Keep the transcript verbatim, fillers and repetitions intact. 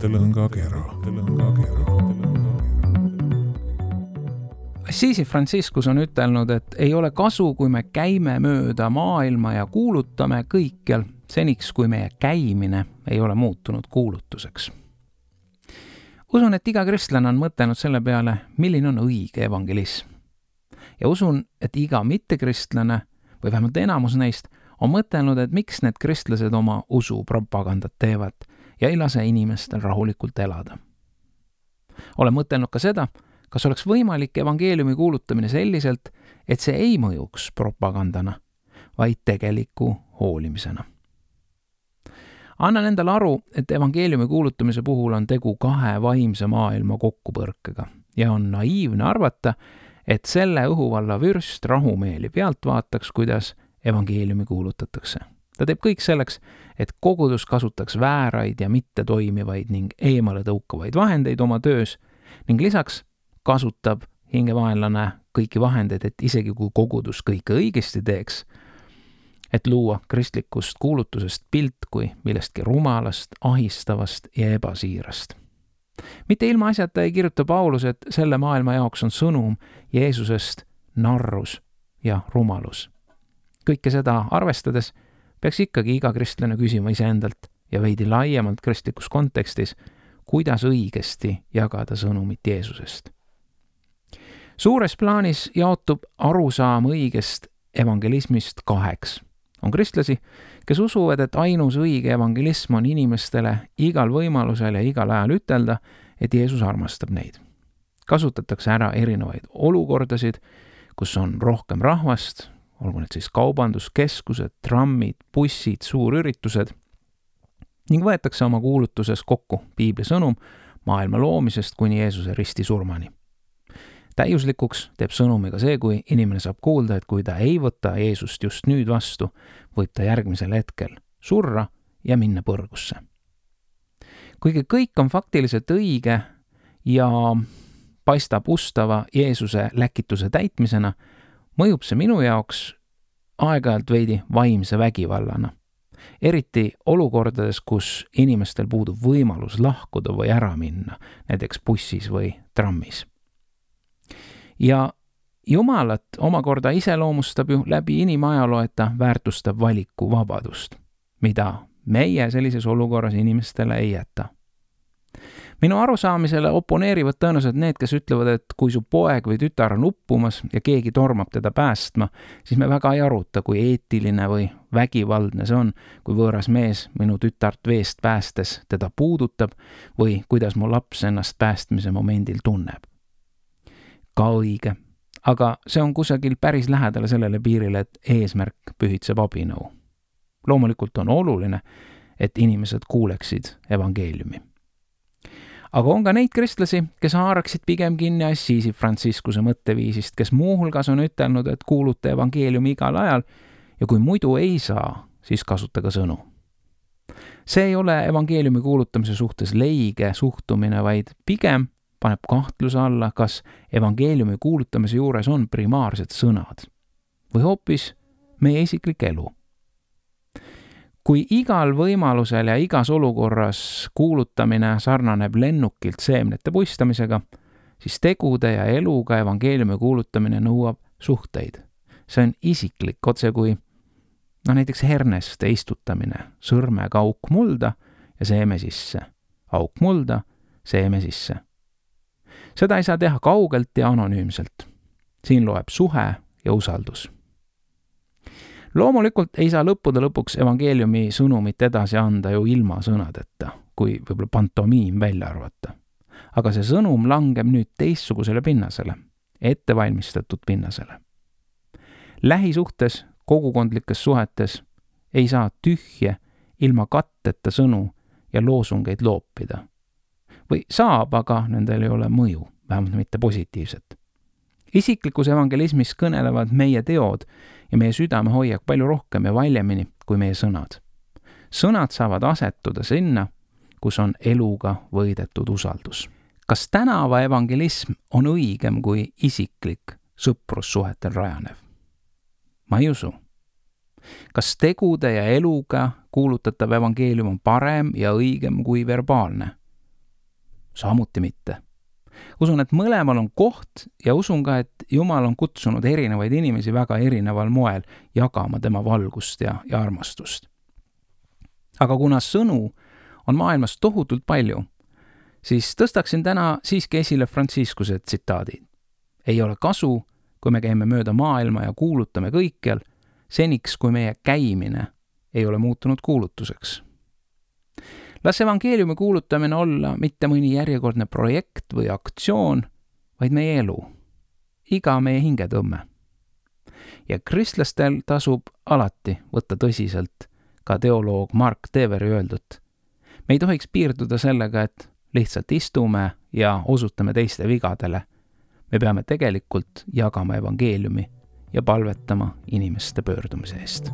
mõttelõngakera. Assisi Franciscus on ütelnud, et ei ole kasu, kui me käime mööda maailma ja kuulutame kõikjal, seniks kui meie käimine ei ole muutunud kuulutuseks. Usun, et iga kristlane on mõtelnud selle peale, milline on õige evangelism. Ja usun, et iga mittekristlane, või vähemalt enamus neist, on mõtelnud, et miks need kristlased oma usu propagandat teevad ja ei lase inimestel rahulikult elada. Olen mõtelnud ka seda, kas oleks võimalik evangeeliumi kuulutamine selliselt, et see ei mõjuks propagandana, vaid tegeliku hoolimisena. Annan endale aru, et evangeeliumi kuulutamise puhul on tegu kahe vaimse maailma kokkupõrkega ja on naiivne arvata, et selle õhuvalla vürst rahumeeli pealt vaataks, kuidas evangeeliumi kuulutatakse. Ta teeb kõik selleks, et kogudus kasutaks vääraid ja mitte toimivaid ning eemale tõukavaid vahendeid oma töös ning lisaks kasutab hingevaenlane kõiki vahendeid, et isegi kui kogudus kõike õigesti teeks, et luua kristlikust kuulutusest pilt kui millestki rumalast, ahistavast ja ebasiirast. Mitte ilma asjata ei kirjuta Paulus, et selle maailma jaoks on sõnum Jeesusest narrus ja rumalus. Kõike seda arvestades peaks ikkagi iga kristlane küsima iseendalt ja veidi laiemalt kristlikus kontekstis, kuidas õigesti jagada sõnumit Jeesusest. Suures plaanis jaotub arusaam õigest evangelismist kaheks. On kristlasi, kes usuvad, et ainus õige evangelism on inimestele igal võimalusel ja igal ajal ütelda, et Jeesus armastab neid. Kasutatakse ära erinevaid olukordasid, kus on rohkem rahvast, olgu need siis kaubanduskeskused, trammid, bussid, suurüritused, ning võetakse oma kuulutuses kokku piibli sõnum maailma loomisest kuni Jeesuse risti surmani. Täiuslikuks teeb sõnumiga see, kui inimene saab kuulda, et kui ta ei võta Jeesust just nüüd vastu, võib ta järgmisel hetkel surra ja minna põrgusse. Kuigi kõik on faktiliselt õige ja paistab ustava Jeesuse läkituse täitmisena, mõjub see minu jaoks aeg-ajalt veidi vaimse vägivallana. Eriti olukordades, kus inimestel puudub võimalus lahkuda või ära minna, näiteks bussis või trammis. Ja Jumalat omakorda iseloomustab ju läbi inimajaloo, et ta väärtustab valikuvabadust, mida meie sellises olukorras inimestele ei jäta. Minu arusaamisele oponeerivad tõenäoliselt need, kes ütlevad, et kui su poeg või tütar on uppumas ja keegi tormab teda päästma, siis me väga ei aruta, kui eetiline või vägivaldne see on, kui võõras mees minu tütart veest päästes teda puudutab või kuidas mu laps ennast päästmise momendil tunneb. Ka õige, aga see on kusagil päris lähedale sellele piirile, et eesmärk pühitseb abinõu. Loomulikult on oluline, et inimesed kuuleksid evangeeliumi. Aga on ka neid kristlasi, kes haaraksid pigem kinni Assisi Franciscuse mõtteviisist, kes muuhulgas on ütelnud, et kuuluta evangeeliumi igal ajal ja kui muidu ei saa, siis kasutage sõnu. See ei ole evangeeliumi kuulutamise suhtes leige suhtumine, vaid pigem paneb kahtluse alla, kas evangeeliumi kuulutamise juures on primaarsed sõnad või hoopis meie isiklik elu. Kui igal võimalusel ja igas olukorras kuulutamine sarnaneb lennukilt seemnete puistamisega, siis tegude ja eluga evangeeliumi kuulutamine nõuab suhteid. See on isiklik, otse kui no näiteks herneste istutamine, sõrmega auk mulda ja seeme sisse, auk mulda, seeme sisse. Seda ei saa teha kaugelt ja anonüümselt. Siin loeb suhe ja usaldus. Loomulikult ei saa lõppude lõpuks evangeeliumi sõnumit edasi anda ju ilma sõnadeta, kui võib-olla pantomiim välja arvata. Aga see sõnum langeb nüüd teistsugusele pinnasele, ettevalmistatud pinnasele. Lähisuhtes, kogukondlikes suhetes ei saa tühje ilma katteta sõnu ja loosungeid loopida. Või saab, aga nendel ei ole mõju, vähemalt mitte positiivset. Isiklikus evangelismis kõnelevad meie teod ja meie südame hoiab palju rohkem ja valjemini kui meie sõnad. Sõnad saavad asetuda sinna, kus on eluga võidetud usaldus. Kas tänava evangelism on õigem kui isiklik sõprussuhetel rajanev? Ma ei usu. Kas tegude ja eluga kuulutatav evangeelium on parem ja õigem kui verbaalne? samuti mitte. Usun, et mõlemal on koht ja usun ka, et Jumal on kutsunud erinevaid inimesi väga erineval moel jagama tema valgust ja, ja armastust. Aga kuna sõnu on maailmas tohutult palju, siis tõstaksin täna siiski esile Franciscuse tsitaadid. Ei ole kasu, kui me käime mööda maailma ja kuulutame kõikjal, seniks kui meie käimine ei ole muutunud kuulutuseks. Las evangeeliumi kuulutamine olla mitte mõni järjekordne projekt või aktsioon, vaid meie elu, iga meie hingetõmme. Ja kristlastel tasub alati võtta tõsiselt ka teoloog Mark Deveri öeldut. Me ei tohiks piirduda sellega, et lihtsalt istume ja osutame teiste vigadele. Me peame tegelikult jagama evangeeliumi ja palvetama inimeste pöördumise eest.